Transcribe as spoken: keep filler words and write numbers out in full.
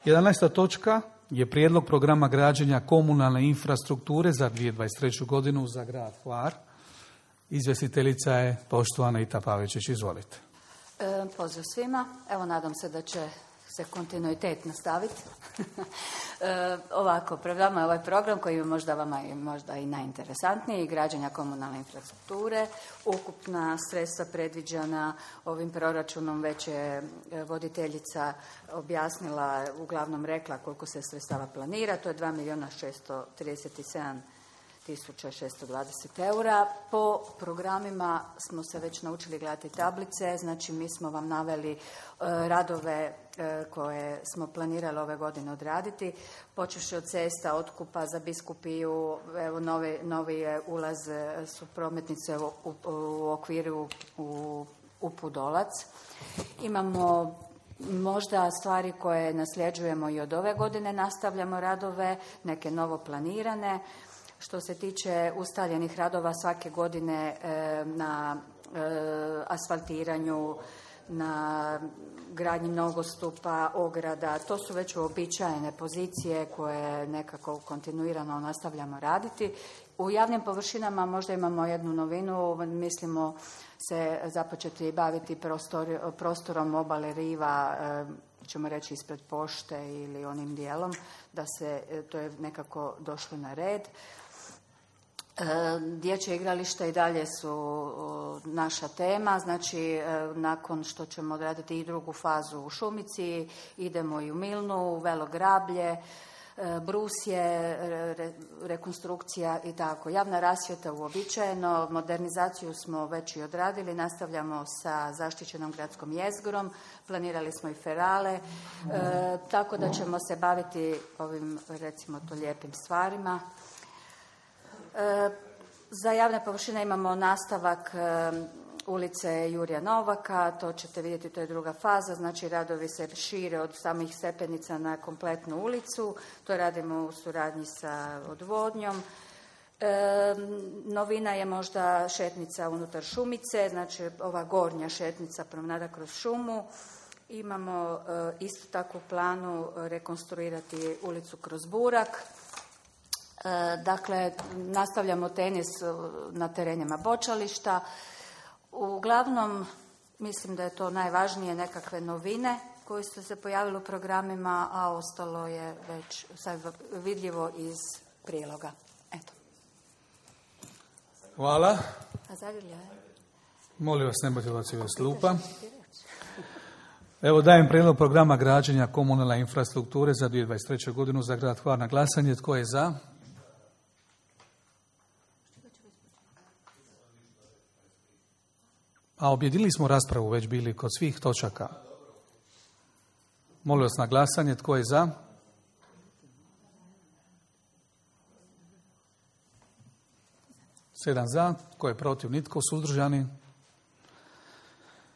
jedanaesta točka je prijedlog programa građenja komunalne infrastrukture za dvije tisuće dvadeset treću godinu za grad Hvar. Izvjestiteljica je poštovana Ita Pavičić. Izvolite. E, pozdrav svima. Evo, nadam se da će se kontinuitet nastaviti. e, ovako, pred vama je ovaj program koji je možda vama i možda i najinteresantniji, građenja komunalne infrastrukture. Ukupna sredstva predviđena ovim proračunom već je voditeljica objasnila, uglavnom rekla koliko se sredstava planira. To je dva milijuna šesto trideset sedam tisuća šesto dvadeset eura. Po programima smo se već naučili gledati tablice, znači mi smo vam naveli e, radove e, koje smo planirali ove godine odraditi, počevši od cesta, otkupa za Biskupiju, evo novi, novi je ulaz su prometnice u, u, u okviru u, u Pudolac. Imamo možda stvari koje nasljeđujemo i od ove godine, nastavljamo radove, neke novo planirane. Što se tiče ustaljenih radova svake godine e, na e, asfaltiranju, na gradnji nogostupa, ograda, to su već uobičajene pozicije koje nekako kontinuirano nastavljamo raditi. U javnim površinama možda imamo jednu novinu, mislimo se započeti baviti prostor, prostorom obale riva, e, ćemo reći ispred pošte ili onim dijelom, da se to je nekako došlo na red. Dječje igrališta i dalje su naša tema, znači nakon što ćemo odraditi i drugu fazu u Šumici, idemo i u Milnu, u Velo Grablje, Brusje, re, rekonstrukcija i tako. Javna rasvjeta uobičajeno, modernizaciju smo već i odradili, nastavljamo sa zaštićenom gradskom jezgrom, planirali smo i ferale, e, tako da ćemo se baviti ovim, recimo to, lijepim stvarima. E, za javne površine imamo nastavak e, ulice Jurija Novaka, to ćete vidjeti, to je druga faza, znači radovi se šire od samih stepenica na kompletnu ulicu, to radimo u suradnji sa odvodnjom. E, novina je možda šetnica unutar Šumice, znači ova gornja šetnica promenada kroz šumu. Imamo e, isto tako u planu rekonstruirati ulicu kroz Burak. Dakle, nastavljamo tenis na terenima bočališta. Uglavnom, mislim da je to najvažnije, nekakve novine koje su se pojavile u programima, a ostalo je već sad vidljivo iz priloga. Eto. Hvala. A zagrlja je? Molim vas, ne budete odbacivati s klupa. Evo, dajem prijedlog programa građenja komunalne infrastrukture za dvije tisuće dvadeset treću godinu za grad Hvar na glasanje. Tko je za? A objedinili smo raspravu, već bili kod svih točaka. Molim vas na glasanje, tko je za? Sedam za, tko je protiv, nitko, suzdržani?